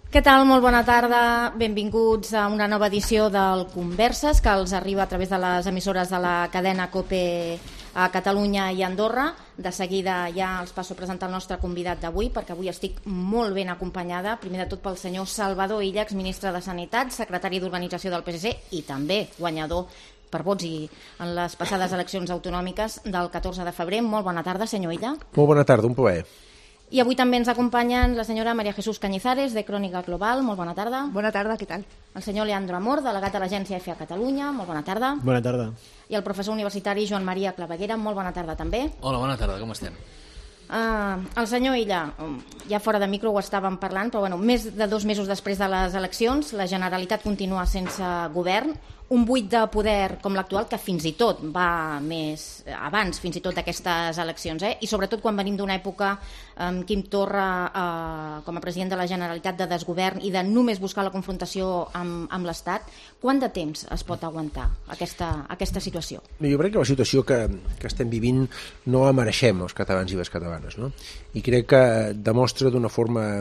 Què tal? Molt bona tarda. Benvinguts a una nova edició del Converses, que els arriba a través de les emissores de la cadena COPE a Catalunya i Andorra. De seguida ja els passo a presentar el nostre convidat d'avui, perquè avui estic molt ben acompanyada, primer de tot pel senyor Salvador Illa, exministre de Sanitat, secretari d'Organització del PSC i també guanyador per vots en les passades eleccions autonòmiques del 14 de febrer. Molt bona tarda, senyor Illa. Molt bona tarda, un plaer. I avui també ens acompanyen la senyora María Jesús Cañizares, de Crònica Global. Molt bona tarda. Bona tarda, què tal? El senyor Leandro Amor, delegat de l'agència EFE a Catalunya. Molt bona tarda. Bona tarda. I el professor universitari Joan Maria Claveguera. Molt bona tarda també. Hola, bona tarda, com estem? El senyor Illa, ja fora de micro ho estàvem parlant, però bueno, més de 2 mesos després de les eleccions, la Generalitat continua sense govern, un buit de poder com l'actual que fins i tot va més abans, fins i tot d'aquestes eleccions, i sobretot quan venim d'una època amb Quim Torra com a president de la Generalitat de desgovern i de només buscar la confrontació amb l'Estat. Quant de temps es pot aguantar aquesta situació? Jo crec que la situació que estem vivint no la mereixem els catalans i les catalanes, no? I crec que demostra d'una forma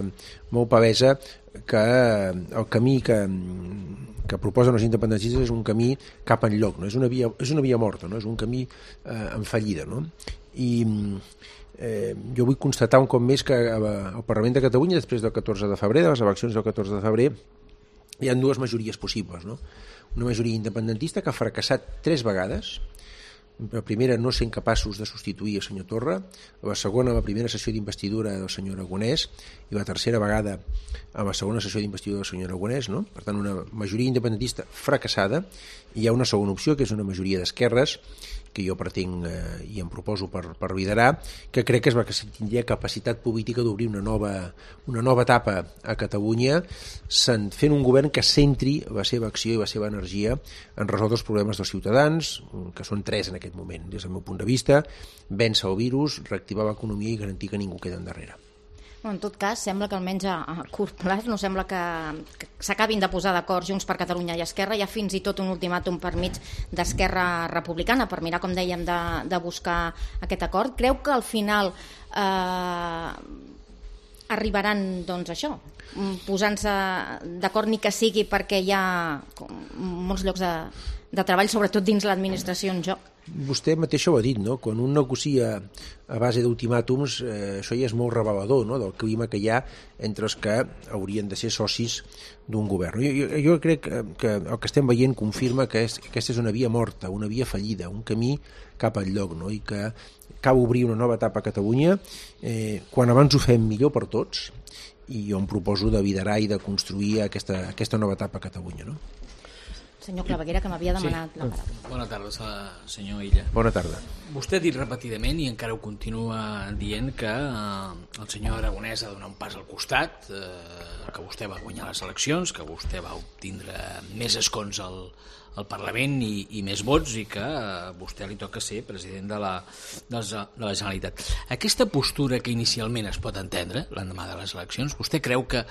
molt palesa que el camí que proposen els independentistes és un camí cap enlloc, no? És una via morta, no? És un camí en fallida, no? I jo vull constatar un cop més que al Parlament de Catalunya, després del 14 de febrer, de les eleccions del 14 de febrer, hi ha 2 majories possibles, no? Una majoria independentista que ha fracassat 3 vegades. La primera, no sent capaços de substituir el senyor Torra; la segona, la primera sessió d'investidura del senyor Aragonès; i la tercera vegada, a la segona sessió d'investidura del senyor Aragonès, no? Per tant, una majoria independentista fracassada. I hi ha una segona opció, que és una majoria d'esquerres, que jo pretenc i em proposo per liderar, que crec que és la que tindria capacitat política d'obrir una nova etapa a Catalunya, fent un govern que centri la seva acció i la seva energia en resoldre els problemes dels ciutadans, que són 3 en aquest moment, des del meu punt de vista: vèncer el virus, reactivar l'economia i garantir que ningú queda endarrere. En tot cas, sembla que almenys a curt plaç no sembla que s'acabin de posar d'acord Junts per Catalunya i Esquerra. Hi ha fins i tot un ultimàtum per mig d'Esquerra Republicana per mirar, com dèiem, de buscar aquest acord. Creu que al final arribaran, doncs, això, posant-se d'acord, ni que sigui perquè hi ha molts llocs de treball, sobretot dins l'administració, en joc? Vostè mateixa ho ha dit, no? Quan un negocia a base d'ultimàtums, això ja és molt revelador, no? Del clima que hi ha entre els que haurien de ser socis d'un govern. Jo crec que el que estem veient confirma que aquesta és una via morta, una via fallida, un camí cap al lloc, no? I que cal obrir una nova etapa a Catalunya. Quan abans ho fem, millor per tots, i jo em proposo de liderar i de construir aquesta nova etapa a Catalunya, no? Senyor Claveguera, que m'havia demanat la paraula. Bona tarda, senyor Illa. Bona tarda. Vostè ha dit repetidament, i encara ho continua dient, que el senyor Aragonès ha de donar un pas al costat, que vostè va guanyar les eleccions, que vostè va obtindre més escons al Parlament i més vots, i que a vostè li toca ser president de la Generalitat. Aquesta postura que inicialment es pot entendre l'endemà de les eleccions, vostè creu que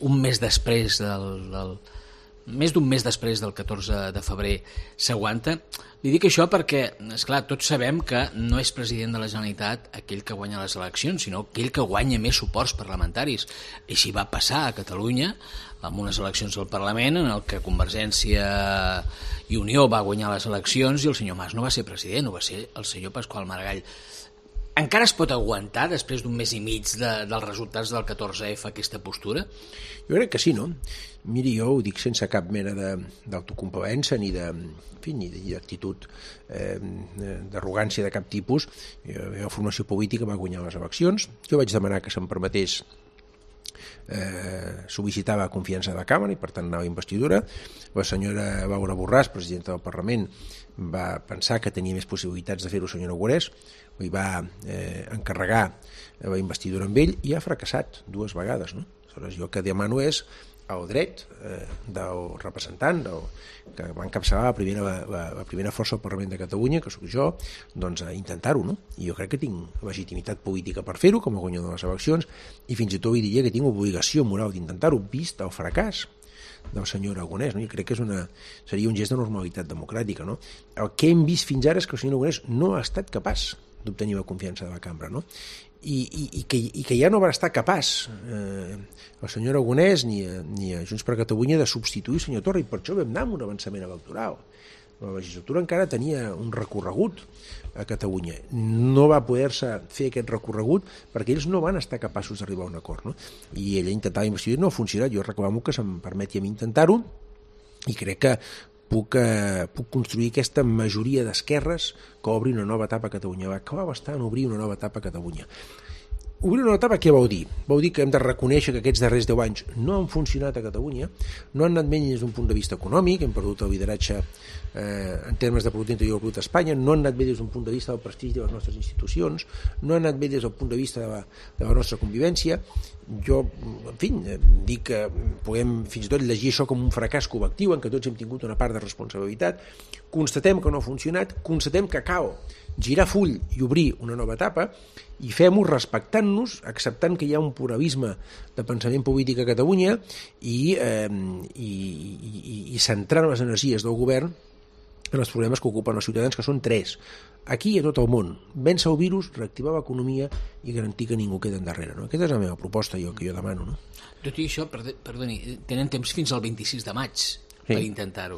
un mes després més d'un mes després del 14 de febrer s'aguanta? Li dic això perquè, esclar, tots sabem que no és president de la Generalitat aquell que guanya les eleccions, sinó aquell que guanya més suports parlamentaris. I així va passar a Catalunya amb unes eleccions al Parlament en el que Convergència i Unió va guanyar les eleccions i el senyor Mas no va ser president, ho va ser el senyor Pasqual Maragall. Encara es pot aguantar, després d'un mes i mig dels resultats del 14F, aquesta postura? Jo crec que sí, no? Miri, jo ho dic sense cap mena d'autocompavença ni d'actitud d'arrogància de cap tipus. La meva formació política va guanyar les eleccions. Jo vaig demanar que se'm permetés sol·licitar la confiança de la Càmera i per tant anava a investidura. La senyora Laura Borràs, presidenta del Parlament, va pensar que tenia més possibilitats de fer-ho el senyor Aragonès, li va encarregar la investidura amb ell i ha fracassat 2 vegades, no? Aleshores, jo el que demano és el dret del representant que va encapçalar la primera força al Parlament de Catalunya, que sóc jo, doncs a intentar-ho, no? I jo crec que tinc legitimitat política per fer-ho com a guanyador de les eleccions, i fins i tot diria que tinc obligació moral d'intentar-ho, vist el fracàs del senyor Aragonès, no? I crec que seria un gest de normalitat democràtica, no? El que hem vist fins ara és que el senyor Aragonès no ha estat capaç d'obtenir la confiança de la cambra, no? i que ja no va estar capaç el senyor Aragonès ni a Junts per Catalunya de substituir el senyor Torra, i per això vam anar amb un avançament electoral. La legislatura encara tenia un recorregut a Catalunya. No va poder-se fer aquest recorregut perquè ells no van estar capaços d'arribar a un acord, no? I ella intentava investigar, no ha funcionat. Jo reclamo que se'm permeti a mi intentar-ho, i crec que puc construir aquesta majoria d'esquerres que obri una nova etapa a Catalunya. Va acabar bastant obrir una nova etapa a Catalunya. Obrir una etapa què vol dir? Vol dir que hem de reconèixer que aquests darrers 10 anys no han funcionat a Catalunya, no han anat bé des d'un punt de vista econòmic, hem perdut el lideratge en termes de producte interior brut a Espanya, no han anat bé des d'un punt de vista del prestigi de les nostres institucions, no han anat bé des del punt de vista de la nostra convivència. Jo, en fi, dic que podem fins i tot llegir això com un fracàs col·lectiu en què tots hem tingut una part de responsabilitat. Constatem que no ha funcionat, constatem que cal girar full i obrir una nova etapa, i fem-ho respectant-nos, acceptant que hi ha un pluralisme de pensament polític a Catalunya i centrant les energies del govern en els problemes que ocupen els ciutadans, que són 3. Aquí i a tot el món. Vèncer el virus, reactivar l'economia i garantir que ningú queda endarrere. No? Aquesta és la meva proposta, que jo demano. No? Tot i això, perdoni, tenen temps fins al 26 de maig per intentar-ho.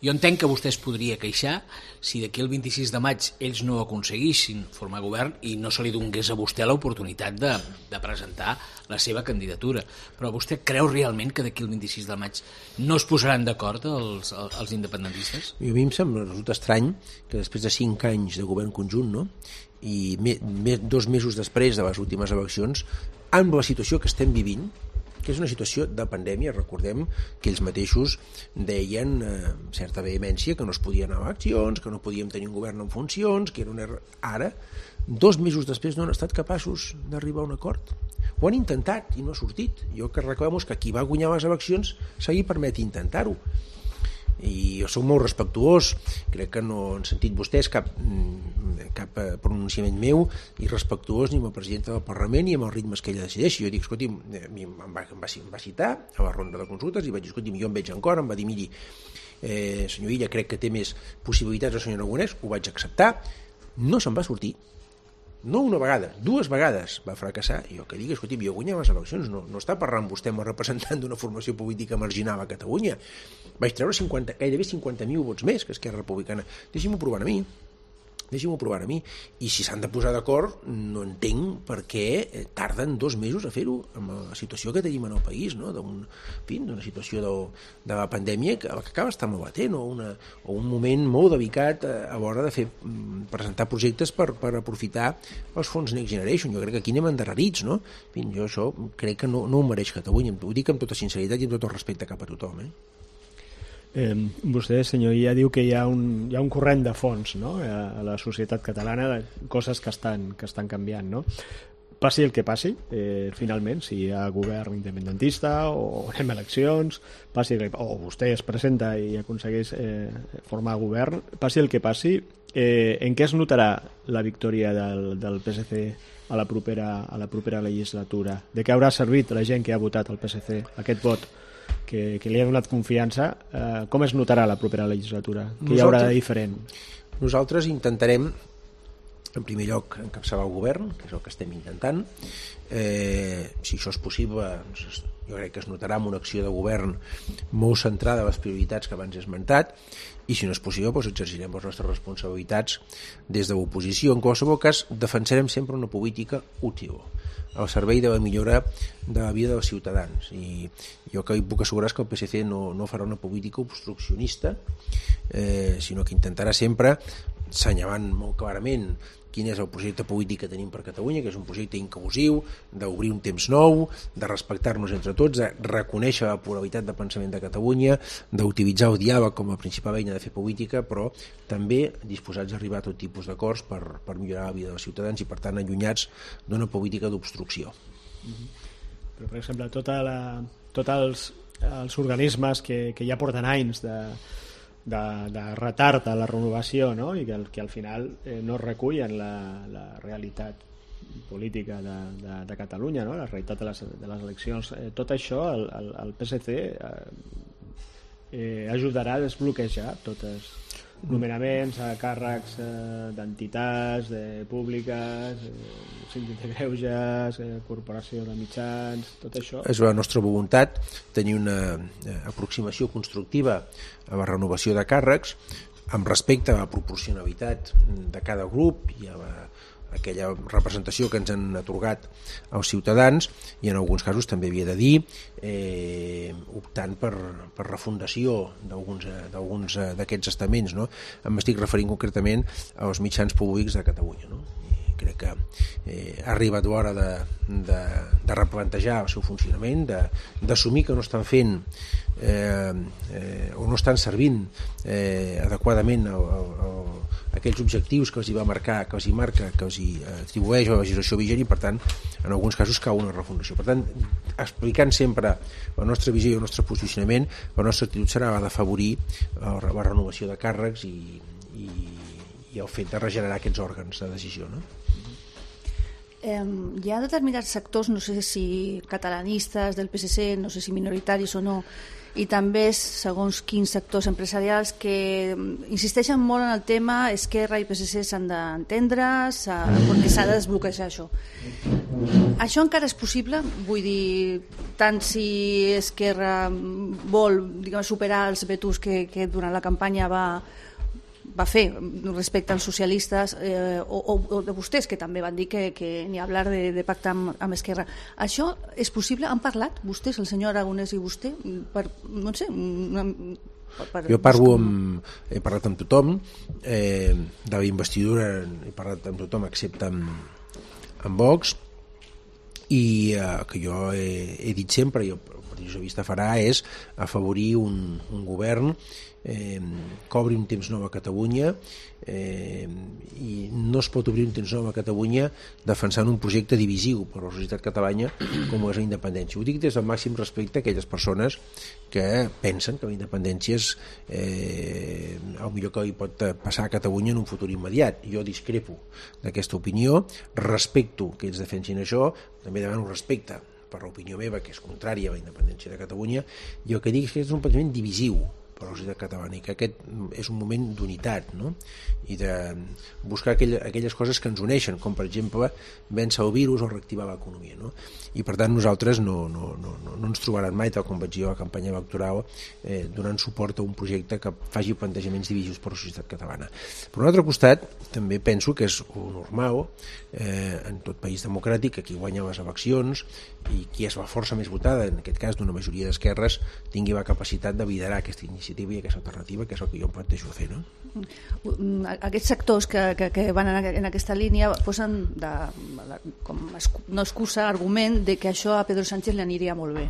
Jo entenc que vostè es podria queixar si d'aquí el 26 de maig ells no aconseguissin formar govern i no se li donés a vostè l'oportunitat de presentar la seva candidatura. Però vostè creu realment que d'aquí el 26 de maig no es posaran d'acord els independentistes? A mi em sembla, resulta estrany que després de 5 anys de govern conjunt, no? I 2 mesos després de les últimes eleccions, amb la situació que estem vivint, que és una situació de pandèmia, recordem que ells mateixos deien amb certa vehemència que no es podien anar a eleccions, que no podíem tenir un govern en funcions, que era un error. Ara, 2 mesos després, no han estat capaços d'arribar a un acord. Ho han intentat i no ha sortit. Jo que reclamo és que qui va guanyar les eleccions se li permet intentar-ho. I jo soc molt respectuós, crec que no han sentit vostès cap pronunciament meu irrespectuós ni amb el president del Parlament ni amb els ritmes que ella decideixi. Jo dic, escolti'm, em va citar a la ronda de consultes i vaig dir, escolti'm, jo em veig en cor, em va dir, miri, senyor Illa, crec que té més possibilitats el senyor Aragonès, ho vaig acceptar, no se'n va sortir. No una vegada, 2 vegades va fracassar. I jo que digui, escolti, jo guanyava les eleccions, no està parlant vostè amb el representant d'una formació política marginal a Catalunya. Vaig treure gairebé 50.000 vots més que Esquerra Republicana. Deixi'm-ho provar a mi. I si s'han de posar d'acord, no entenc per què tarden 2 mesos a fer-ho amb la situació que tenim en el país, no? D'una situació de la pandèmia que acaba estant molt latent, o un moment molt delicat a l'hora de presentar projectes per aprofitar els fons Next Generation. Jo crec que aquí anem endarrerits, no? Jo això crec que no ho mereix Catalunya. Ho dic amb tota sinceritat i amb tot el respecte cap a tothom, Vostè, senyor Illa, diu que hi ha un corrent de fons, no? A la societat catalana, de coses que estan canviant, no? Passi el que passi, finalment, si hi ha govern independentista o anem a eleccions, o vostè es presenta i aconsegueix formar govern, passi el que passi, en què es notarà la victòria del PSC a la propera legislatura? De què haurà servit la gent que ha votat el PSC, aquest vot que li ha donat confiança? Com es notarà la propera legislatura? Què hi haurà de diferent? Nosaltres intentarem, en primer lloc, encapçalar el govern, que és el que estem intentant. Si això és possible, jo crec que es notarà amb una acció de govern molt centrada a les prioritats que abans he esmentat, i si no és possible, doncs exercirem les nostres responsabilitats des de l'oposició. En qualsevol cas, defensarem sempre una política útil, al servei de la millora de la vida dels ciutadans, i jo que puc assegurar és que el PSC no farà una política obstruccionista, sinó que intentarà sempre, assenyalant molt clarament quin és el projecte polític que tenim per Catalunya, que és un projecte inclusiu, d'obrir un temps nou, de respectar-nos entre tots, de reconèixer la pluralitat de pensament de Catalunya, d'utilitzar el diàleg com a principal eina de fer política, però també disposats a arribar a tot tipus d'acords per millorar la vida dels ciutadans i, per tant, allunyats d'una política d'obstrucció. Però, per exemple, tots els organismes que ja porten anys de retard a la renovació, no? I que al final no recullen la realitat política de Catalunya, no? La realitat de les eleccions. Tot això el PSC ajudarà a desbloquejar totes nomenaments a càrrecs d'entitats, públiques, síndic de greuges, corporació de mitjans, tot això. És la nostra voluntat tenir una aproximació constructiva a la renovació de càrrecs amb respecte a la proporcionalitat de cada grup i a aquella representació que ens han atorgat els ciutadans, i en alguns casos també havia de dir optant per refundació d'alguns d'aquests estaments, no? M'estic referint concretament als mitjans públics de Catalunya, no? I crec que ha arribat l'hora de replantejar el seu funcionament, d'assumir que no estan fent o no estan servint adequadament aquells objectius que els hi va marcar, que els hi marca, que els hi atribueix a la legislació vigent, i per tant en alguns casos cau una refundació. Per tant, explicant sempre la nostra visió i el nostre posicionament, la nostra actitud serà la d'afavorir la renovació de càrrecs i el fet de regenerar aquests òrgans de decisió, no? Hi ha determinats sectors, no sé si catalanistes del PSC, no sé si minoritaris o no, i també segons quins sectors empresarials que insisteixen molt en el tema Esquerra i PSC s'han d'entendre perquè s'ha de desbloquejar això. Això encara és possible? Vull dir, tant si Esquerra vol, diguem, superar els vetos que durant la campanya va fer respecte als socialistes o de vostès, que també van dir que ni hablar de pactar amb Esquerra. Això és possible? Han parlat vostès, el senyor Aragonès i vostè? No sé... Jo he parlat amb tothom de la investidura, he parlat amb tothom excepte amb Vox, i que jo he dit sempre, i el Partit Socialista farà, és afavorir un govern que obri un temps nou a Catalunya, i no es pot obrir un temps nou a Catalunya defensant un projecte divisiu per a la societat catalana com és la independència. Ho dic des del màxim respecte a aquelles persones que pensen que la independència és el millor que li pot passar a Catalunya en un futur immediat. Jo discrepo d'aquesta opinió, respecto que ells defensin això, també demano respecte per l'opinió meva, que és contrària a la independència de Catalunya. Jo el que dic és que és un pensament divisiu per a la societat catalana, i que aquest és un moment d'unitat, no? I de buscar aquelles coses que ens uneixen, com per exemple vèncer el virus o reactivar l'economia, no? I per tant nosaltres no ens trobaran mai, tal com vaig dir a la campanya electoral, donant suport a un projecte que faci plantejaments divisius per a la societat catalana. Per un altre costat, també penso que és normal en tot país democràtic que qui guanya les eleccions i qui és la força més votada, en aquest cas d'una majoria d'esquerres, tingui la capacitat de liderar aquesta iniciativa i aquesta alternativa, que és el que jo em plantejo fer, no? Aquests sectors que van en aquesta línia posen com no excusa, argument de que això a Pedro Sánchez li aniria molt bé.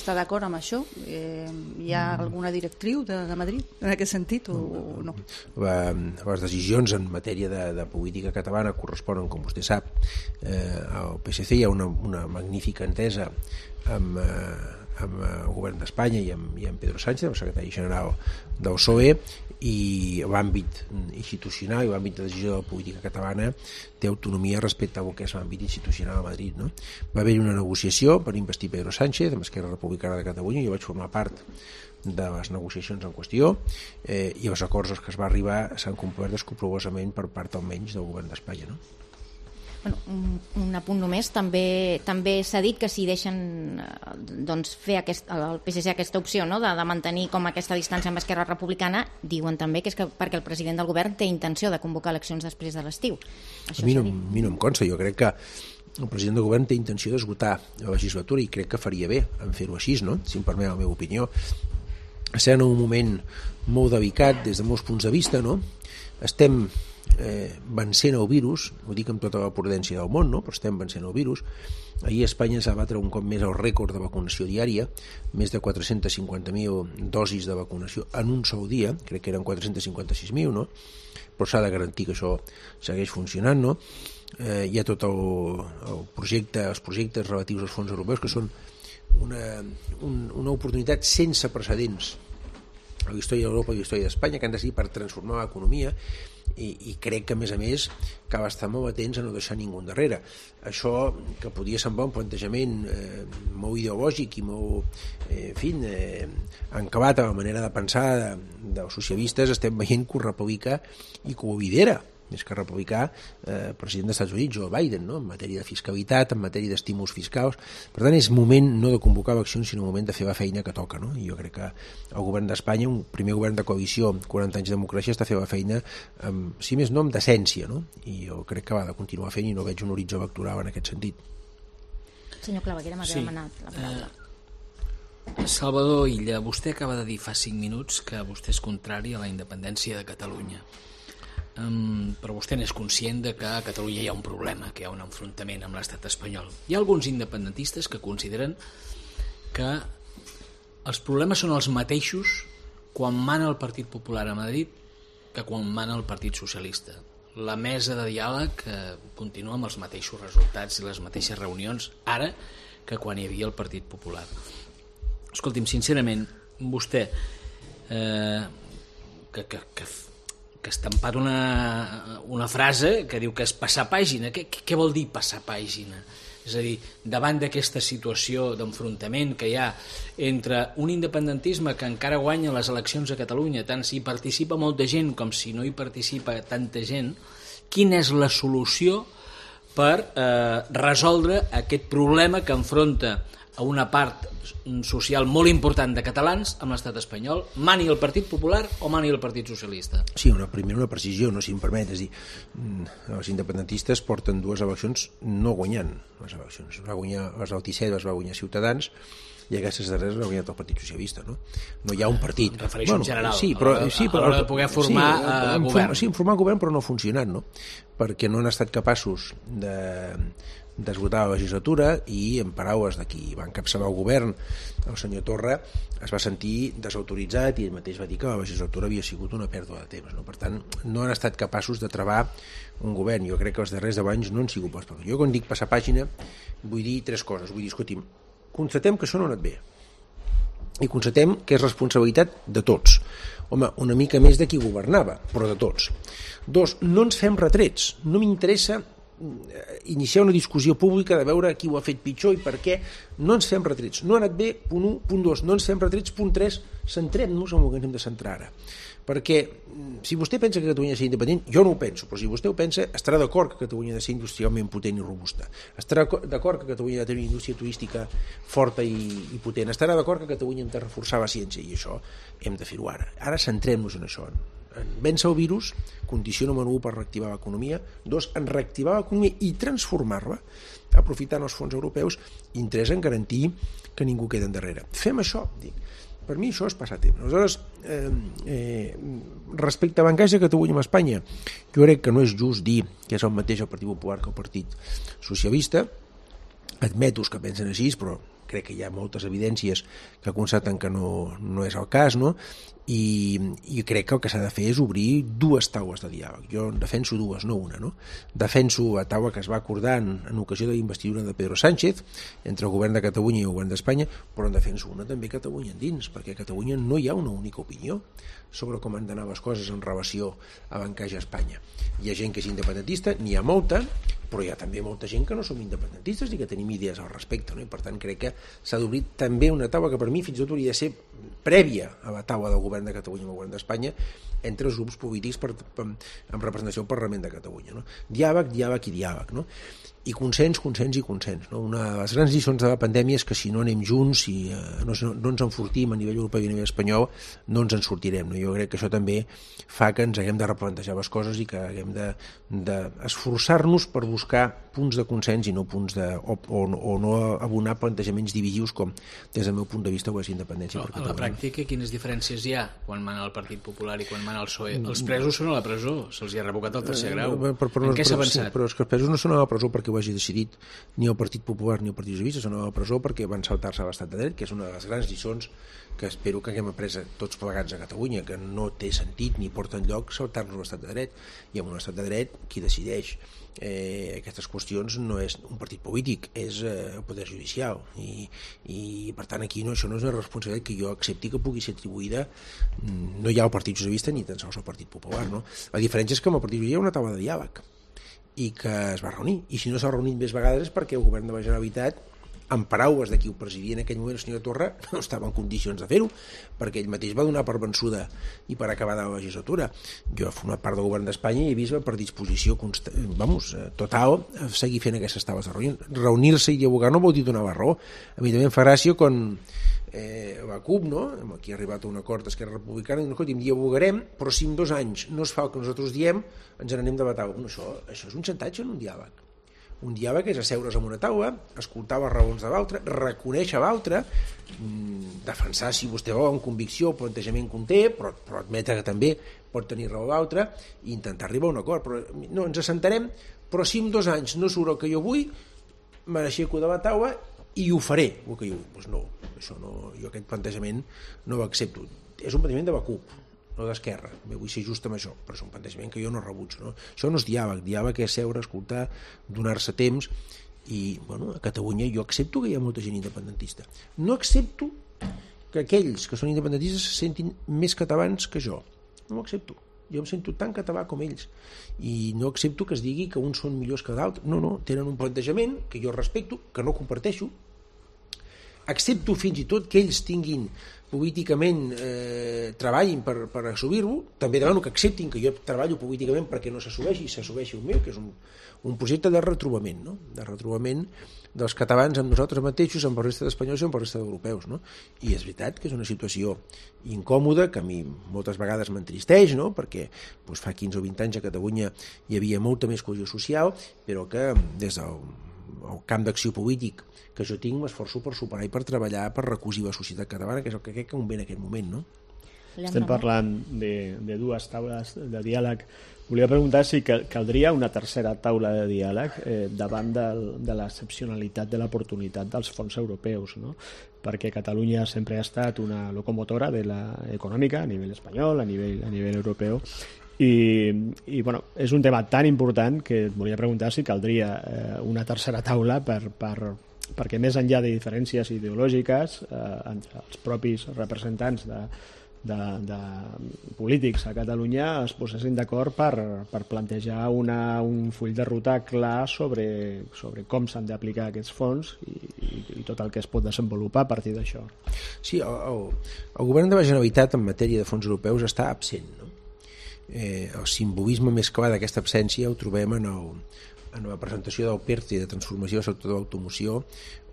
Està d'acord amb això? Hi ha alguna directriu de Madrid en aquest sentit o no? Les decisions en matèria de política catalana corresponen, com vostè sap, al PSC. Hi ha una magnífica entesa amb el govern d'Espanya i amb Pedro Sánchez, el secretari general del PSOE, i l'àmbit institucional i l'àmbit de decisió de la política catalana té autonomia respecte a que és l'àmbit institucional a Madrid, no? Va haver-hi una negociació per investir Pedro Sánchez amb Esquerra Republicana de Catalunya. Jo vaig formar part de les negociacions en qüestió, i els acords als que es va arribar s'han complert escrupolosament per part almenys del govern d'Espanya, no? Bueno, un apunt només, també s'ha dit que si deixen fer al PSC aquesta opció, no, de mantenir com aquesta distància amb Esquerra Republicana, diuen també que és perquè el president del govern té intenció de convocar eleccions després de l'estiu. A mi no em consta. Jo crec que el president del govern té intenció d'esgotar la legislatura i crec que faria bé en fer-ho així, no? Si em permet la meva opinió. Estem en un moment molt delicat des de molts punts de vista, no? Estem vencent el virus, ho dic amb tota la prudència del món, no? Però estem vencent el virus. Ahir a Espanya s'ha batre un cop més el rècord de vacunació diària, més de 450.000 dosis de vacunació en un sol dia, crec que eren 456.000, no? Però s'ha de garantir que això segueix funcionant, no? Hi ha tot el projecte, els projectes relatius als fons europeus, que són una oportunitat sense precedents a la història d'Europa i a la història d'Espanya, que han de servir per transformar l'economia i crec que, a més, cal estar molt atents a no deixar ningú endarrere. Això, que podia semblar un plantejament molt ideològic i molt encabat a la manera de pensar dels socialistes, estem veient que ho republica i que ho lidera, més que republicà, president dels Estats Units, Joe Biden, no? En matèria de fiscalitat, en matèria d'estímuls fiscals. Per tant, és moment no de convocar eleccions, sinó moment de fer la feina que toca, no? I jo crec que el govern d'Espanya, un primer govern de coalició, 40 anys de democràcia, està fent la feina, si més no, amb decència, no? I jo crec que va de continuar fent i no veig un horitzó electoral en aquest sentit. Senyor Claveguera, m'ha demanat la paraula. Salvador Illa, vostè acaba de dir fa 5 minuts que vostè és contrari a la independència de Catalunya. Però vostè n'és conscient de que a Catalunya hi ha un problema, que hi ha un enfrontament amb l'estat espanyol. Hi ha alguns independentistes que consideren que els problemes són els mateixos quan mana el Partit Popular a Madrid que quan mana el Partit Socialista. La mesa de diàleg continua amb els mateixos resultats i les mateixes reunions ara que quan hi havia el Partit Popular. Escolti'm, sincerament, vostè que ha estampat una frase que diu que és passar pàgina. Què vol dir passar pàgina? És a dir, davant d'aquesta situació d'enfrontament que hi ha entre un independentisme que encara guanya les eleccions a Catalunya, tant si hi participa molta gent com si no hi participa tanta gent, quina és la solució per resoldre aquest problema que enfronta a una part social molt important de catalans amb l'estat espanyol, mani el Partit Popular o mani el Partit Socialista? Sí, una precisió, no, si em permet, és dir, els independentistes porten 2 eleccions no guanyant les eleccions. Va guanyar les del 17, les va guanyar Ciutadans, i aquestes darreres ha guanyat el Partit Socialista, no? No hi ha un partit. Em refereixo en general, a l'hora de poder formar govern. Sí, formar govern, però no ha funcionat, no? Perquè no han estat capaços d'esgotar la legislatura i, en paraules de qui va encapçalar el govern, el senyor Torra, es va sentir desautoritzat i ell mateix va dir que la legislatura havia sigut una pèrdua de temps, no? Per tant, no han estat capaços de travar un govern. Jo crec que els darrers 10 anys no han sigut bons. Jo, quan dic passar pàgina, vull dir 3 coses. Vull dir, escolti'm, constatem que això no ha anat bé i constatem que és responsabilitat de tots. Home, una mica més de qui governava, però de tots. 2, no ens fem retrets. No m'interessa iniciar una discussió pública de veure qui ho ha fet pitjor i per què. No ens fem retrets. No ha anat bé, punt 1, punt 2. No ens fem retrets, punt 3. Centrem-nos en el que ens hem de centrar ara. Perquè si vostè pensa que Catalunya ha de ser independent, jo no ho penso, però si vostè ho pensa, estarà d'acord que Catalunya ha de ser industrialment potent i robusta. Estarà d'acord que Catalunya ha de tenir una indústria turística forta i potent. Estarà d'acord que Catalunya hem de reforçar la ciència, i això hem de fer-ho ara. Ara centrem-nos en això, en vèncer el virus, condició número 1 per reactivar l'economia, 2, en reactivar l'economia i transformar-la, aprofitant els fons europeus, i 3, en garantir que ningú queda endarrere. Fem això, dic. Per mi això és passar temps. Aleshores, respecte a l'encaix de Catalunya amb Espanya, jo crec que no és just dir que és el mateix el Partit Popular que el Partit Socialista. Admeto que pensen així, però crec que hi ha moltes evidències que constaten que no és el cas, no? I crec que el que s'ha de fer és obrir 2 taules de diàleg. Jo en defenso 2, no una, no? Defenso la taula que es va acordar en ocasió de l'investidura de Pedro Sánchez entre el govern de Catalunya i el govern d'Espanya, però en defenso una també Catalunya endins, perquè a Catalunya no hi ha una única opinió sobre com han d'anar les coses en relació a l'encaix a Espanya. Hi ha gent que és independentista, n'hi ha molta, però hi ha també molta gent que no som independentistes i que tenim idees al respecte, no? I per tant crec que s'ha d'obrir també una taula que per mi fins i tot hauria de ser prèvia a la taula del govern de Catalunya i el govern d'Espanya entre els grups polítics amb representació al Parlament de Catalunya, no? Diàleg i diàleg, no? I consens, no? Una de les grans lliçons de la pandèmia és que si no anem junts, si no ens enfortim a nivell europeu i a nivell espanyol, no ens en sortirem, no? Jo crec que això també fa que ens haguem de replantejar les coses i que haguem d'esforçar-nos per buscar punts de consens i no punts o no abonar plantejaments divisius com des del meu punt de vista ho és independència per Catalunya. A la pràctica, quines diferències hi ha quan mana el Partit Popular i quan mana el PSOE? Els presos són a la presó, se'ls hi ha revocat el 3è grau. En què s'ha avançat? Però és que els presos no són a la presó perquè que ho hagi decidit ni el Partit Popular ni el Partit Socialista, són a la presó perquè van saltar-se a l'estat de dret, que és una de les grans lliçons que espero que haguem après tots plegats a Catalunya, que no té sentit ni porta enlloc saltar-nos l'estat de dret, i amb un estat de dret qui decideix aquestes qüestions no és un partit polític, és el poder judicial, i per tant aquí això no és una responsabilitat que jo accepti que pugui ser atribuïda no hi ha el Partit Socialista ni tan sols el Partit Popular, no? La diferència és que amb el Partit Socialista hi ha una taula de diàleg i que es va reunir, i si no s'ha reunit més vegades és perquè el govern de la Generalitat, en paraules de qui ho presidia en aquell moment, el senyor Torra, no estava en condicions de fer-ho, perquè ell mateix va donar per vençuda i per acabada la legislatura. Jo he format part del govern d'Espanya i he vist per disposició total a seguir fent aquestes taules de reunió. Reunir-se i dialogar no vol dir donar la raó. A mi també em fa gràcia quan la CUP, no? Aquí ha arribat a un acord d'Esquerra Republicana, i escolti, dialogarem, però si en 2 anys no es fa el que nosaltres diem, ens n'anem de la taula. Bueno, això és un xantatge en un diàleg. Un diàleg és asseure's en una taula, escoltar les raons de l'altre, reconèixer l'altre, defensar, si vostè vol, amb convicció el plantejament que un té, però admetre que també pot tenir raó l'altre, i intentar arribar a un acord. Però no, ens assentarem, però si en 2 anys no surt el que jo vull, m'aixeco de la taula i ho faré, el que jo vull. Doncs no, això no, jo aquest plantejament no l'accepto. És un plantejament de la CUP, no d'Esquerra, vull ser just amb això, però és un plantejament que jo no rebutjo, no? Això no és diàleg és seure, escoltar, donar-se temps, i bueno, a Catalunya jo accepto que hi ha molta gent independentista, no accepto que aquells que són independentistes se sentin més catalans que jo, no ho accepto, jo em sento tan català com ells, i no accepto que es digui que uns són millors que d'altres, no, tenen un plantejament que jo respecto, que no comparteixo, accepto fins i tot que ells tinguin políticament treballin per assolir-ho, també demano que acceptin que jo treballo políticament perquè no s'assoleixi i s'assoleixi el meu, que és un projecte de retrobament, no? De retrobament dels catalans amb nosaltres mateixos, amb la resta d'espanyols i amb la resta d'europeus, no? I és veritat que és una situació incòmoda, que a mi moltes vegades m'entristeix, no? Perquè fa 15 o 20 anys a Catalunya hi havia molta més cohesió social, però que des del camp d'acció polític que jo tinc m'esforço per superar i per treballar per recosir la societat catalana, que és el que crec que convé en aquest moment, no? Estem parlant de 2 taules de diàleg. Volia preguntar si caldria una tercera taula de diàleg davant de l'excepcionalitat de l'oportunitat dels fons europeus, no? Perquè Catalunya sempre ha estat una locomotora de econòmica a nivell espanyol, a nivell europeu, i bueno, és un tema tan important que et volia preguntar si caldria una tercera taula perquè més enllà de diferències ideològiques entre els propis representants de polítics a Catalunya es posessin d'acord per plantejar un full de ruta clar sobre com s'han d'aplicar aquests fons i tot el que es pot desenvolupar a partir d'això. Sí, el govern de la Generalitat en matèria de fons europeus està absent, no? El simbolisme més clar d'aquesta absència ho trobem en la presentació del PERTE de transformació del sector de l'automoció,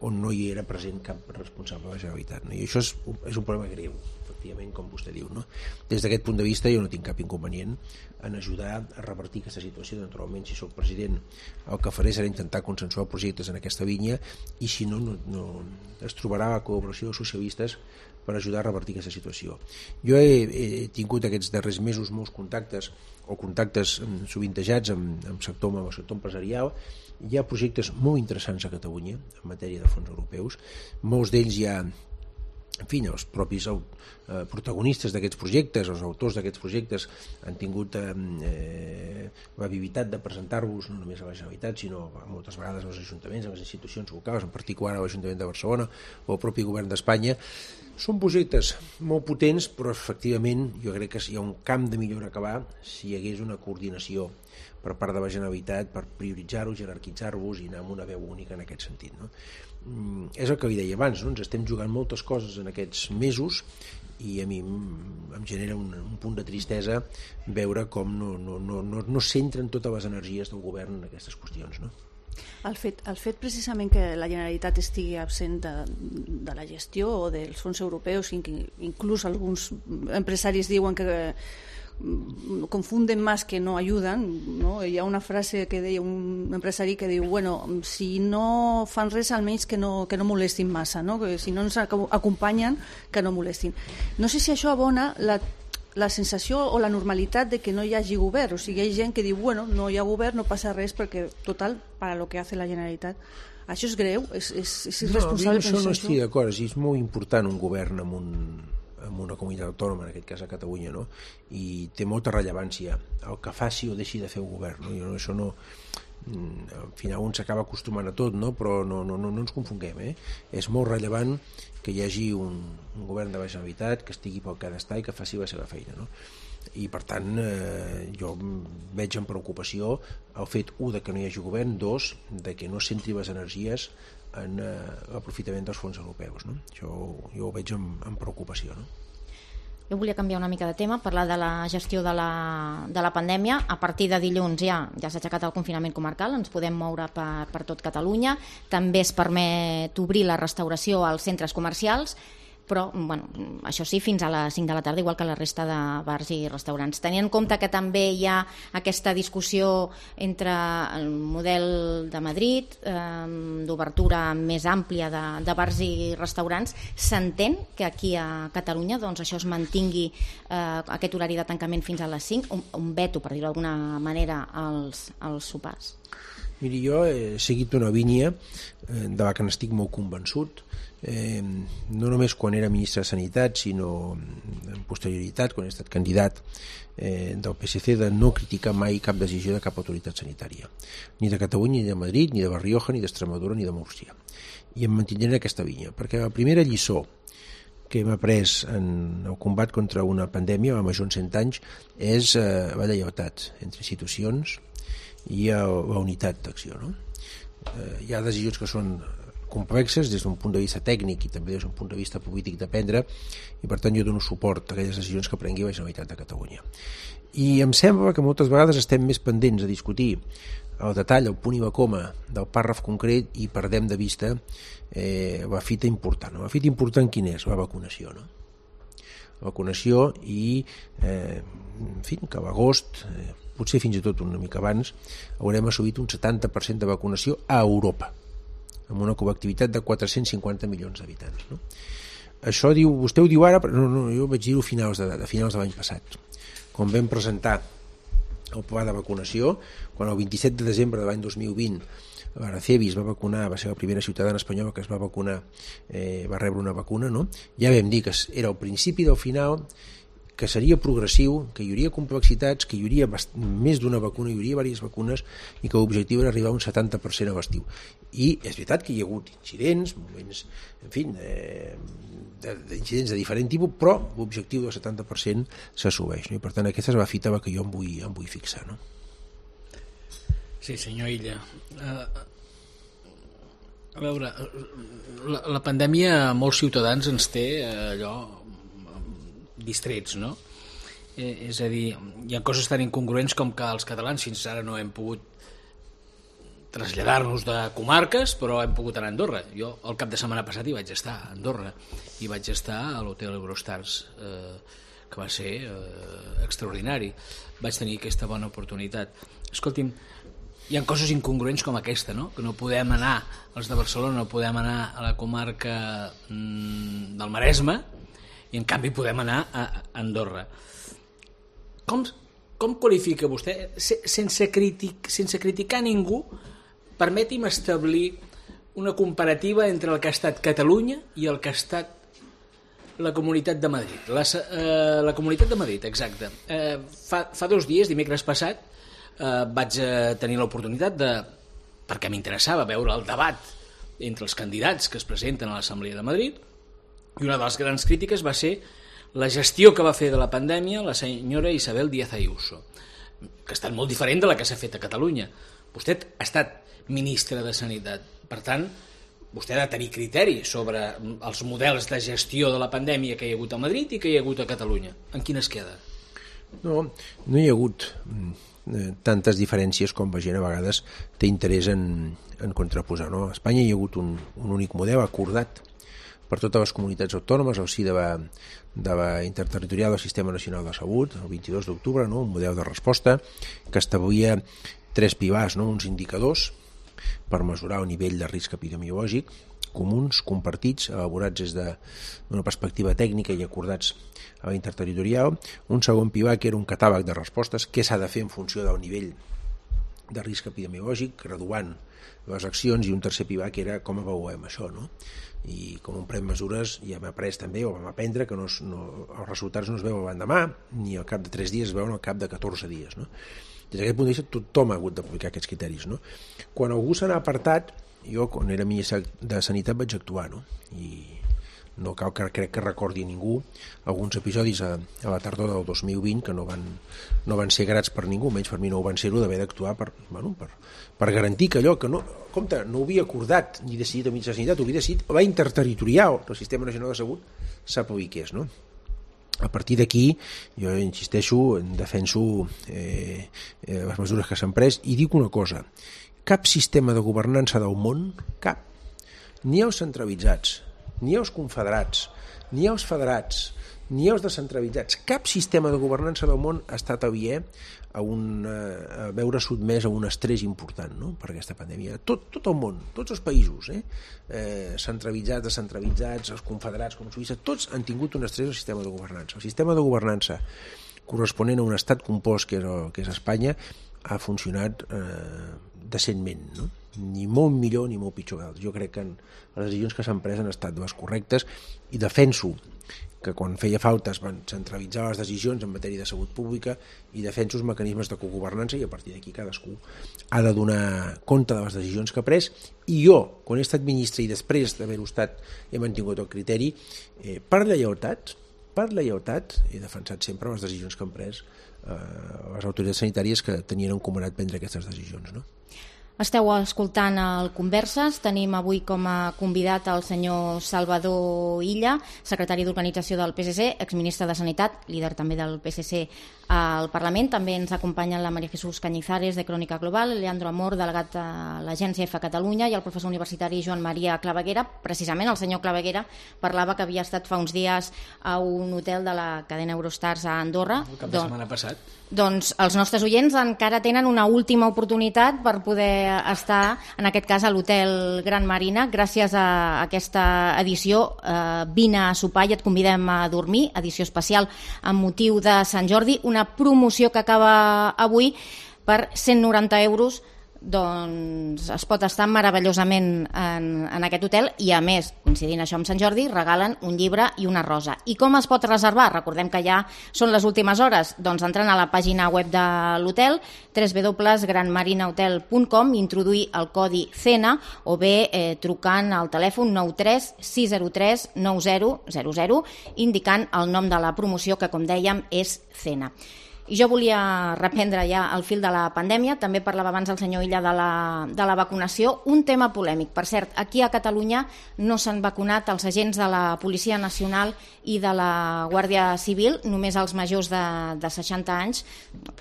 on no hi era present cap responsable de la Generalitat, no? I això és un problema greu, efectivament, com vostè diu, no? Des d'aquest punt de vista jo no tinc cap inconvenient en ajudar a revertir aquesta situació. Naturalment, si sóc president, el que faré serà intentar consensuar projectes en aquesta línia, i si no es trobarà la col·laboració dels socialistes per ajudar a revertir aquesta situació. Jo he tingut aquests darrers mesos molts contactes sovintejats amb el sector empresarial. Hi ha projectes molt interessants a Catalunya en matèria de fons europeus. Molts d'ells ja, en fi, els propis protagonistes d'aquests projectes, els autors d'aquests projectes han tingut l'habilitat de presentar-vos no només a la Generalitat, sinó moltes vegades als ajuntaments, a les institucions locals, en particular a l'Ajuntament de Barcelona o al propi govern d'Espanya. Són projectes molt potents, però efectivament jo crec que hi ha un camp de millora a acabar si hi hagués una coordinació per part de la Generalitat per prioritzar-ho, jerarquitzar-vos i anar amb una veu única en aquest sentit, no? És el que li deia abans, no? Ens estem jugant moltes coses en aquests mesos i a mi em genera un punt de tristesa veure com no centren totes les energies del govern en aquestes qüestions, no? El fet precisament que la Generalitat estigui absent de la gestió o dels fons europeus, inclús alguns empresaris diuen que confunden más que no ayudan, ¿no? Hi ha una frase que deia un empresari que diu, bueno, si no fan res almenys que no molestin massa, no? Que si no ens acompanyen que no molestin. No sé si això abona la sensació o la normalitat de que no hi hagi govern. O sigui, hi ha gent que diu, bueno, no hi ha govern, no passa res, perquè, total, para lo que hace la Generalitat. Això és greu, és irresponsable. No, això no estic d'acord, és molt important un govern en una comunitat autònoma, en aquest cas a Catalunya, no? I té molta rellevància el que faci o deixi de fer un govern, no? Això no... al final un s'acaba acostumant a tot, no? Però no ens confonguem, és molt rellevant que hi hagi un govern de la Generalitat que estigui pel que ha d'estar i que faci la seva feina, no? I per tant jo veig amb preocupació el fet, de que no hi hagi govern, de que no centri les energies en l'aprofitament dels fons europeus, no? Jo ho veig amb preocupació, no? Jo volia canviar una mica de tema, parlar de la gestió de la pandèmia. A partir de dilluns ja s'ha aixecat el confinament comarcal, ens podem moure per tot Catalunya. També es permet obrir la restauració als centres comercials, però bueno, això sí, fins a les 5 de la tarda, igual que la resta de bars i restaurants. Tenint en compte que també hi ha aquesta discussió entre el model de Madrid, d'obertura més àmplia de bars i restaurants, s'entén que aquí a Catalunya doncs, això es mantingui aquest horari de tancament fins a les 5, un veto, per dir-ho d'alguna manera, als sopars? Miri, jo he seguit una línia de la que n'estic molt convençut, no només quan era ministre de Sanitat, sinó en posterioritat, quan he estat candidat del PSC, de no criticar mai cap decisió de cap autoritat sanitària, ni de Catalunya, ni de Madrid, ni de La Rioja, ni d'Extremadura, ni de Múrcia. I em mantindré en aquesta línia, perquè la primera lliçó que hem après en el combat contra una pandèmia, la major en 100 anys, és la lleialtat entre institucions i la unitat d'acció, no? Hi ha decisions que són complexes des d'un punt de vista tècnic i també des d'un punt de vista polític de prendre, i per tant jo dono suport a aquelles decisions que prengui la Generalitat de Catalunya. I em sembla que moltes vegades estem més pendents a discutir el detall, el punt i la coma del pàrraf concret i perdem de vista la fita important. La fita important quina és? La vacunació, no? La vacunació i en fi, que a l'agost, potser fins i tot una mica abans, haurem assolit un 70% de vacunació a Europa, amb una col·lectivitat de 450 milions d'habitants, no? Això vostè ho diu ara, però no, jo vaig dir-ho a finals de l'any passat, quan vam presentar el pla de vacunació, quan el 27 de desembre de l'any 2020 l'Aracevi va ser la primera ciutadana espanyola que es va vacunar, va rebre una vacuna, no? Ja vam dir que era el principi del final, que seria progressiu, que hi hauria complexitats, que hi hauria més d'una vacuna, hi hauria diverses vacunes i que l'objectiu era arribar a un 70% a l'estiu. I és veritat que hi ha hagut incidents, moments, en fi, d'incidents de diferent tipus, però l'objectiu del 70% s'assoleix, no? I per tant aquesta és la fita que jo em vull fixar, no? Sí, senyor Illa. A veure, la pandèmia a molts ciutadans ens té allò distrets, no? És a dir, hi ha coses tan incongruents com que els catalans fins ara no hem pogut traslladar-nos de comarques, però hem pogut anar a Andorra. Jo el cap de setmana passat hi vaig estar a Andorra i vaig estar a l'hotel Eurostars, que va ser extraordinari. Vaig tenir aquesta bona oportunitat. Escolti'm, hi ha coses incongruents com aquesta, no? Que no podem anar, els de Barcelona no podem anar a la comarca del Maresme i en canvi podem anar a Andorra. Com qualifica vostè, sense criticar ningú, permeti'm establir una comparativa entre el que ha estat Catalunya i el que ha estat la Comunitat de Madrid. La Comunitat de Madrid, exacte. Fa 2 dies, dimecres passat, vaig tenir l'oportunitat perquè m'interessava veure el debat entre els candidats que es presenten a l'Assemblea de Madrid, i una de les grans crítiques va ser la gestió que va fer de la pandèmia la senyora Isabel Díaz Ayuso, que ha estat molt diferent de la que s'ha fet a Catalunya. Vostè ha estat ministre de Sanitat, per tant, vostè ha de tenir criteri sobre els models de gestió de la pandèmia que hi ha hagut a Madrid i que hi ha hagut a Catalunya. En quin es queda? No hi ha hagut tantes diferències com la gent a vegades té interès en contraposar, no? A Espanya hi ha hagut un únic model acordat per totes les comunitats autònomes al si de la interterritorial del Sistema Nacional de Salut, el 22 d'octubre, no? Un model de resposta que establia 3 pilars, no? Uns indicadors per mesurar el nivell de risc epidemiològic, comuns, compartits, elaborats des d'una perspectiva tècnica i acordats a la interterritorial. Un segon pilar que era un catàleg de respostes, què s'ha de fer en funció del nivell de risc epidemiològic, graduant les accions, i un tercer pilar que era com avaluem això, no? I com on pren mesures ja hem après també, o vam aprendre que els resultats no es veuen l'endemà, ni al cap de 3 dies, es veuen al cap de 14 dies, no? Des d'aquest punt de vista tothom ha hagut d'aplicar aquests criteris, no? Quan algú se n'ha apartat, jo quan era ministre de Sanitat vaig actuar, no? I no cal que crec que recordi ningú alguns episodis a la tardor del 2020 que no van ser grats per ningú, menys per mi no ho van ser-ho, d'haver d'actuar per garantir que allò que no, compte, no ho havia acordat ni decidit el ministre de Sanitat, ho havia decidit la interterritorial del Sistema Nacional de Salut s'apliqués, no? A partir d'aquí, jo insisteixo, defenso les mesures que s'han pres i dic una cosa, cap sistema de governança del món, cap, ni els centralitzats, ni els confederats, ni els federats, ni els descentralitzats, cap sistema de governança del món ha estat aliè a veure sotmès a un estrès important, no?, per aquesta pandèmia. Tot el món, tots els països, centralitzats, descentralitzats, els confederats com Suïssa, tots han tingut un estrès al sistema de governança. El sistema de governança corresponent a un estat compost que és Espanya ha funcionat decentment, no? Ni molt millor ni molt pitjor. Jo crec que les decisions que s'han pres han estat les correctes i defenso que quan feia falta es van centralitzar les decisions en matèria de salut pública i defenso els mecanismes de cogovernança i a partir d'aquí cadascú ha de donar compte de les decisions que ha pres i jo, quan he estat ministre i després d'haver-ho estat he mantingut el criteri per lleialtat he defensat sempre les decisions que han pres les autoritats sanitàries que tenien encomanat prendre aquestes decisions, no? Esteu escoltant el Converses. Tenim avui com a convidat el senyor Salvador Illa, secretari d'Organització del PSC, exministre de Sanitat, líder també del PSC al Parlament. També ens acompanyen la María Jesús Cañizares, de Crònica Global, Leandro Amor, delegat de l'Agència EFA Catalunya, i el professor universitari Joan Maria Claveguera. Precisament el senyor Claveguera parlava que havia estat fa uns dies a un hotel de la cadena Eurostars a Andorra. El cap de setmana passat. Doncs els nostres oients encara tenen una última oportunitat per poder estar, en aquest cas, a l'hotel Gran Marina. Gràcies a aquesta edició, vine a sopar i et convidem a dormir, edició especial amb motiu de Sant Jordi, una promoció que acaba avui per 190 euros. Doncs es pot estar meravellosament en aquest hotel i a més, coincidint això amb Sant Jordi, regalen un llibre i una rosa. I com es pot reservar? Recordem que ja són les últimes hores, doncs entrant a la pàgina web de l'hotel, www.granmarinahotel.com, introduir el codi CENA o bé trucant al telèfon 93 603 9000 indicant el nom de la promoció que, com dèiem, és CENA. I jo volia reprendre ja el fil de la pandèmia. També parlava abans el senyor Illa de la vacunació. Un tema polèmic. Per cert, aquí a Catalunya no s'han vacunat els agents de la Policia Nacional i de la Guàrdia Civil, només els majors de 60 anys,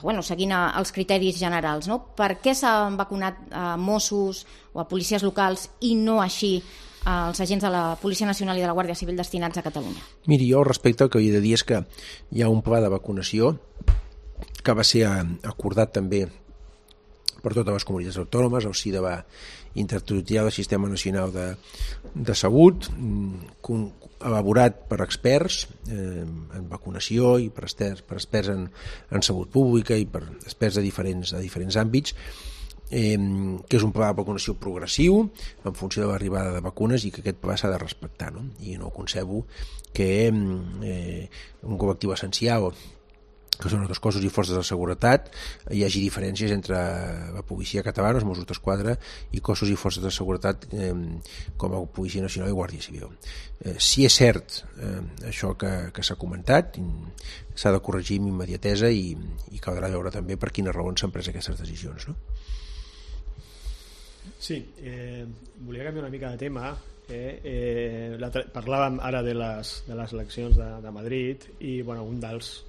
bueno, seguint els criteris generals, no? Per què s'han vacunat a Mossos o a policies locals i no així els agents de la Policia Nacional i de la Guàrdia Civil destinats a Catalunya? Miri, jo al respecte el que he de dir és que hi ha un pla de vacunació que va ser acordat també per totes les comunitats autònomes al si de la interterritorial del Sistema Nacional de Salut, elaborat per experts en vacunació i per experts en salut pública i per experts de diferents àmbits, que és un pla de vacunació progressiu en funció de l'arribada de vacunes i que aquest pla s'ha de respectar, no? I no concebo que un col·lectiu essencial que són els cossos i forces de seguretat hi hagi diferències entre la policia catalana, els Mossos d'Esquadra i cossos i forces de seguretat com a Policia Nacional i Guàrdia Civil. Si és cert això que s'ha comentat, s'ha de corregir amb immediatesa i caldrà veure també per quines raons s'han pres aquestes decisions, no? Sí, volia canviar una mica de tema. Parlàvem ara de les eleccions de Madrid i bueno, un dels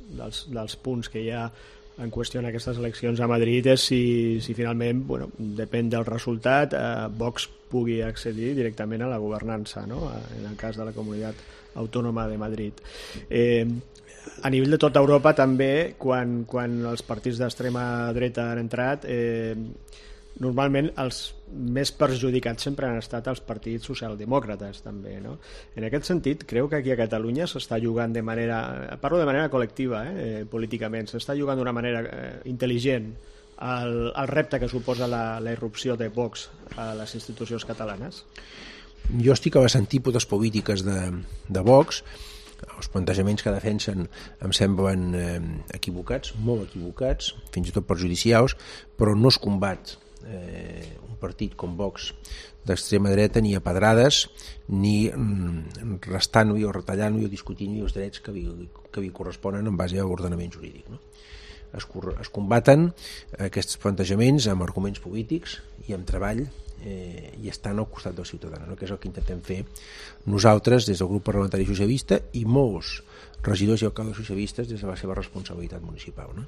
punts que hi ha en qüestió en aquestes eleccions a Madrid és si finalment, bueno, depèn del resultat, Vox pugui accedir directament a la governança, no? En el cas de la Comunitat Autònoma de Madrid. A nivell de tota Europa també, quan els partits d'extrema dreta han entrat, normalment els més perjudicats sempre han estat els partits socialdemòcrates també, no? En aquest sentit, creu que aquí a Catalunya s'està jugant parlo de manera col·lectiva, políticament, s'està jugant d'una manera intel·ligent el repte que suposa la irrupció de Vox a les institucions catalanes? Jo estic a les antípodes polítiques de Vox. Els plantejaments que defensen em semblen equivocats, molt equivocats, fins i tot perjudicials, però no es combat un partit com Vox d'extrema dreta ni a pedrades ni restant-ho o retallant-ho o discutint-hi els drets que li corresponen en base a l'ordenament jurídic, no? Es combaten aquests plantejaments amb arguments polítics i amb treball i estan al costat del ciutadà, no? Que és el que intentem fer nosaltres des del grup parlamentari socialista i molts regidors i alcaldes socialistes des de la seva responsabilitat municipal, no?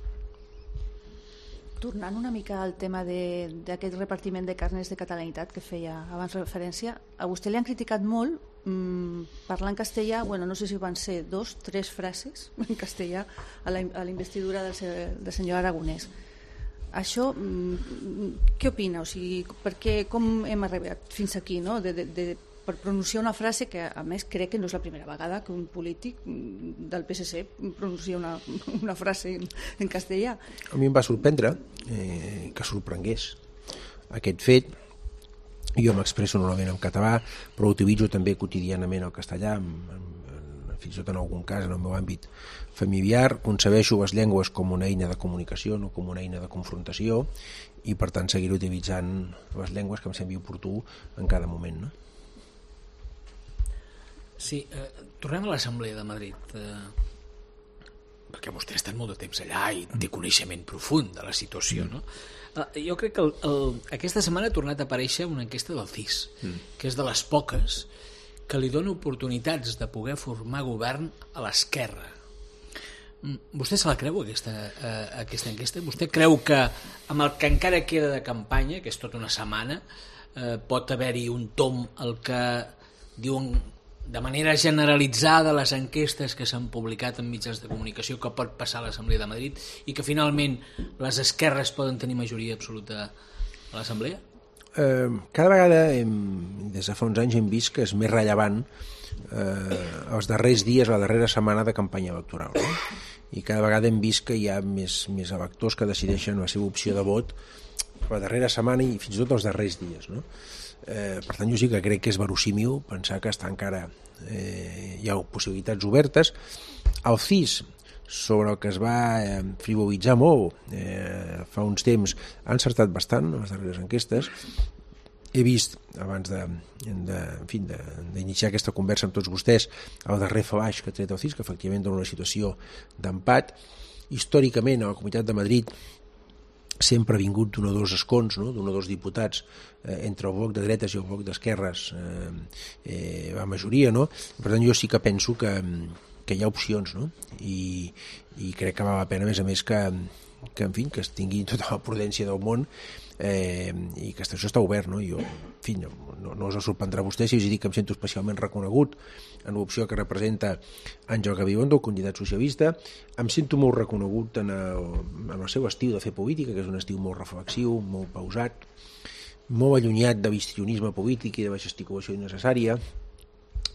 Tornant una mica al tema d'aquest repartiment de carnets de catalanitat que feia abans referència, a vostè li han criticat molt parlar en castellà, no sé si van ser 2, 3 frases en castellà a la investidura del senyor Aragonès. Això, què opina? O sigui, com hem arribat fins aquí, no? Per pronunciar una frase que, a més, crec que no és la primera vegada que un polític del PSC pronuncia una frase en castellà. A mi em va sorprendre que sorprengués aquest fet. Jo m'expresso normalment en català, però utilitzo també quotidianament el castellà, fins i tot en algun cas en el meu àmbit familiar. Concebeixo les llengües com una eina de comunicació, no com una eina de confrontació, i per tant seguiré utilitzant les llengües que em sembli oportú en cada moment, no? Sí, tornem a l'Assemblea de Madrid, perquè vostè ha estat molt de temps allà i té coneixement profund de la situació, no? Jo crec que aquesta setmana ha tornat a aparèixer una enquesta del CIS, que és de les poques que li dona oportunitats de poder formar govern a l'esquerra. Vostè se la creu, aquesta enquesta? Vostè creu que amb el que encara queda de campanya, que és tota una setmana, pot haver-hi un tomb al que diuen de manera generalitzada les enquestes que s'han publicat en mitjans de comunicació que pot passar a l'Assemblea de Madrid i que finalment les esquerres poden tenir majoria absoluta a l'Assemblea? Cada vegada des de fa uns anys hem vist que és més rellevant els darrers dies, la darrera setmana de campanya electoral, no? I cada vegada hem vist que hi ha més electors que decideixen la seva opció de vot la darrera setmana i fins i tot els darrers dies, no? Per tant, jo sí que crec que és verossímil pensar que està encara hi ha possibilitats obertes. El CIS, sobre el que es va frivolitzar molt fa uns temps, ha encertat bastant les darreres enquestes. He vist, abans d'iniciar aquesta conversa amb tots vostès, el darrer flaix que ha tret el CIS, que efectivament dona una situació d'empat. Històricament, a la Comunitat de Madrid sempre ha vingut d'un o dos escons, no? D'un o dos diputats entre el bloc de dretes i el bloc d'esquerres, la majoria, no? Per tant, jo sí que penso que hi ha opcions, no? I crec que val la pena, a més, que es tingui tota la prudència del món i que això està obert, no? Jo, en fi, no us sorprendrà a vostè si us dic que em sento especialment reconegut en l'opció que representa Àngel Gabilondo, el candidat socialista. Em sento molt reconegut en el seu estil de fer política, que és un estil molt reflexiu, molt pausat, molt allunyat de l'histrionisme polític i de la gesticulació innecessària,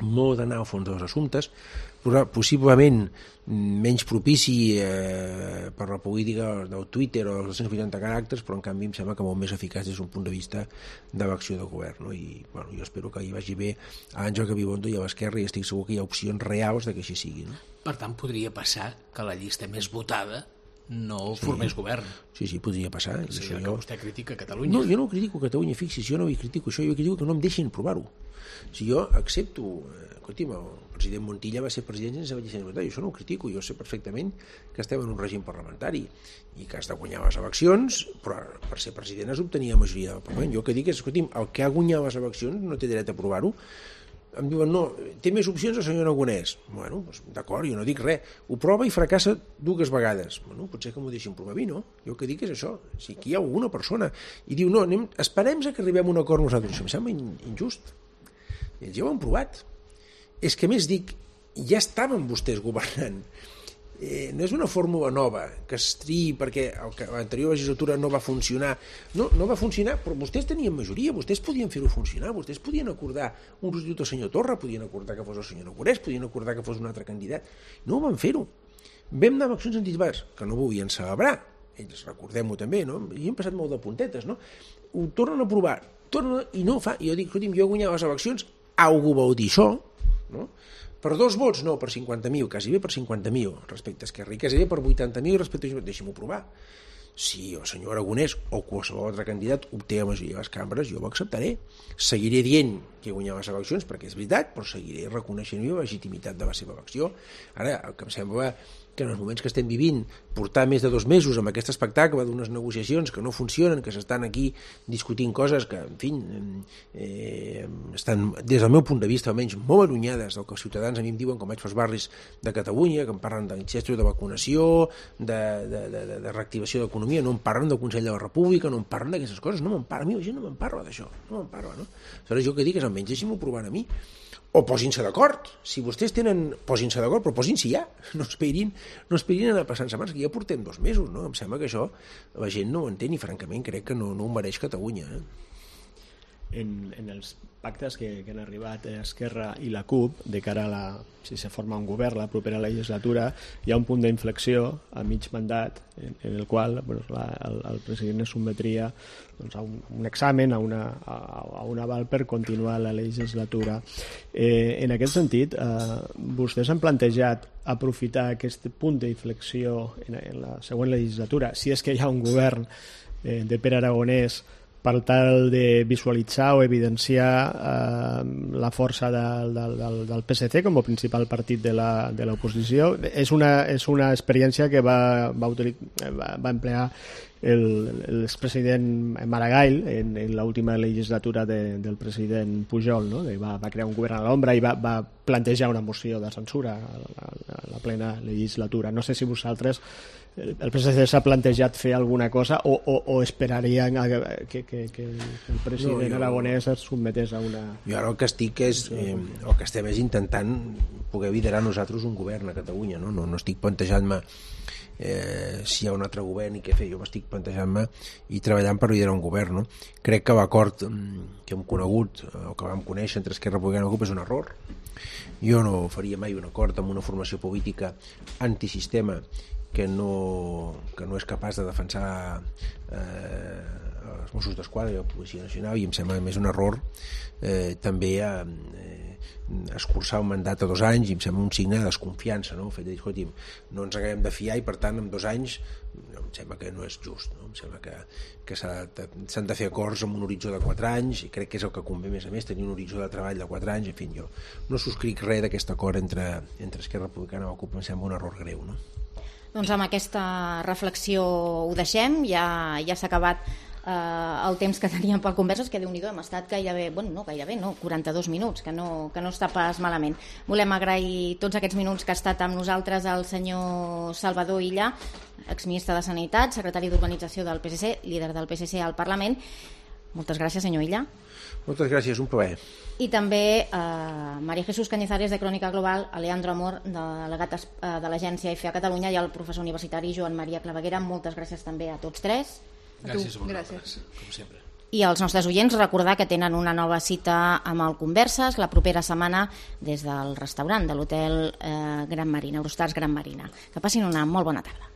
molt d'anar al fons dels assumptes, possiblement menys propici per la política del Twitter o dels 280 caràcters, però en canvi em sembla que molt més eficaç des d'un punt de vista de l'acció de govern, no? I jo espero que hi vagi bé a Àngel Gabilondo i a l'esquerra i estic segur que hi ha opcions reals de que així sigui, no? Per tant, podria passar que la llista més votada no formés govern. Sí, podria passar. És allò que vostè critica a Catalunya. No, jo no critico Catalunya, fixi's, jo no hi critico això, jo critico que no em deixin provar-ho. Si jo accepto, escolti'm, el president Montilla va ser president sense llicència parlamentària, això no ho critico, jo sé perfectament que estem en un règim parlamentari i que has de guanyar les eleccions, però per ser president has d'obtenir la majoria del Parlament. Jo el que dic és, escolti'm, el que ha guanyat les eleccions no té dret a provar-ho. Em diuen, no, té més opcions el senyor Aragonès. Bueno, doncs, d'acord, jo no dic res. Ho prova i fracassa 2 vegades. Bueno, potser que m'ho deixin provar a mi, no? Jo el que dic és això. Si aquí hi ha alguna persona i diu, no, esperem que arribem a un acord nosaltres. Això em sembla injust. Ells ja ho han provat. És que més dic, ja estaven vostès governant no és una fórmula nova que es triï perquè l'anterior legislatura no va funcionar. No va funcionar, però vostès tenien majoria, vostès podien fer-ho funcionar, vostès podien acordar un substitut al senyor Torra, podien acordar que fos el senyor Aragonès, podien acordar que fos un altre candidat. No ho van fer-ho. Vam anar a eleccions anticipades, que no volien celebrar, ells recordem-ho també, no? I hem passat molt de puntetes, no? Ho tornen a provar, i no ho fa. I jo dic, escolti'm, jo he guanyat les eleccions, algú vol dir això, no? Per 2 vots, no, per 50.000, quasi bé per 50.000 respecte a Esquerra, i quasi bé per 80.000 respecte a... Deixi'm-ho provar. Si el senyor Aragonès o qualsevol altre candidat obté la majoria de les cambres, jo ho acceptaré. Seguiré dient que he guanyat les eleccions, perquè és veritat, però seguiré reconeixent la legitimitat de la seva elecció. Ara, el que em sembla que en els moments que estem vivint, portar més de 2 mesos amb aquest espectacle d'unes negociacions que no funcionen, que s'estan aquí discutint coses que, en fi, estan, des del meu punt de vista, almenys molt allunyades del que els ciutadans a mi em diuen quan vaig pels barris de Catalunya, que em parlen d'incestos de vacunació, de reactivació de l'economia, no em parlen del Consell de la República, no em parlen d'aquestes coses, no me'n parla, a mi la gent no me'n parla d'això, no me'n parla, no? Aleshores jo que dic és almenys deixin-m'ho provar a mi, o posin-se d'acord, si vostès tenen, posin-se d'acord, però posin-se ja, no esperin anar passant setmanes, que ja portem 2 mesos, no? Em sembla que això la gent no ho entén i francament crec que no ho mereix Catalunya. En els pactes que han arribat Esquerra i la CUP de cara a si se forma un govern la propera legislatura, hi ha un punt d'inflexió a mig mandat en el qual el president es sotmetria a un examen, a un aval per continuar la legislatura. En aquest sentit, vostès han plantejat aprofitar aquest punt d'inflexió en la següent legislatura, si és que hi ha un govern de Pere Aragonès, per tal de visualitzar o evidenciar la força del PSC com a principal partit de l'oposició. És una experiència que va emplear l'expresident Maragall en l'última legislatura del president Pujol, no? Va crear un govern a l'ombra i va plantejar una moció de censura a la plena legislatura. No sé si vosaltres, el PSC s'ha plantejat fer alguna cosa o esperarien que el president Aragonès es sotmetés a una... Jo ara el que estic és, el que estem és intentant poder liderar nosaltres un govern a Catalunya, no estic plantejant-me si hi ha un altre govern i què fer. Jo m'estic plantejant-me i treballant per liderar un govern, no? Crec que l'acord que hem conegut o que vam conèixer entre Esquerra Republicana i la CUP és un error. Jo no faria mai un acord amb una formació política antisistema que no és capaç de defensar els Mossos d'Esquadra i la Policia Nacional, i em sembla més un error també escurçar un mandat a 2 anys, i em sembla un signe de desconfiança, no? El fet de dir, escolti'm, no ens acabem de fiar i per tant en 2 anys em sembla que no és just, no? Em sembla que s'han de fer acords amb un horitzó de 4 anys, i crec que és el que convé més a més, tenir un horitzó de treball de 4 anys. En fi, jo no subscric res d'aquest acord entre Esquerra Republicana i la CUP, em sembla un error greu, no? Doncs amb aquesta reflexió ho deixem, ja s'ha acabat el temps que teníem per converses, que Déu-n'hi-do, hem estat gairebé, 42 minuts, que no està pas malament. Volem agrair tots aquests minuts que ha estat amb nosaltres el senyor Salvador Illa, exministre de Sanitat, secretari d'Urbanització del PSC, líder del PSC al Parlament. Moltes gràcies, senyor Illa. Moltes gràcies, un plaer. I també María Jesús Cañizares, de Crònica Global, a Leandro Amor, delegat de l'agència EFE a Catalunya, i al professor universitari Joan Maria Claveguera. Moltes gràcies també a tots tres. Gràcies a vosaltres, com sempre. I als nostres oients recordar que tenen una nova cita amb el Converses la propera setmana des del restaurant de l'hotel Gran Marina, Eurostars Gran Marina. Que passin una molt bona tarda.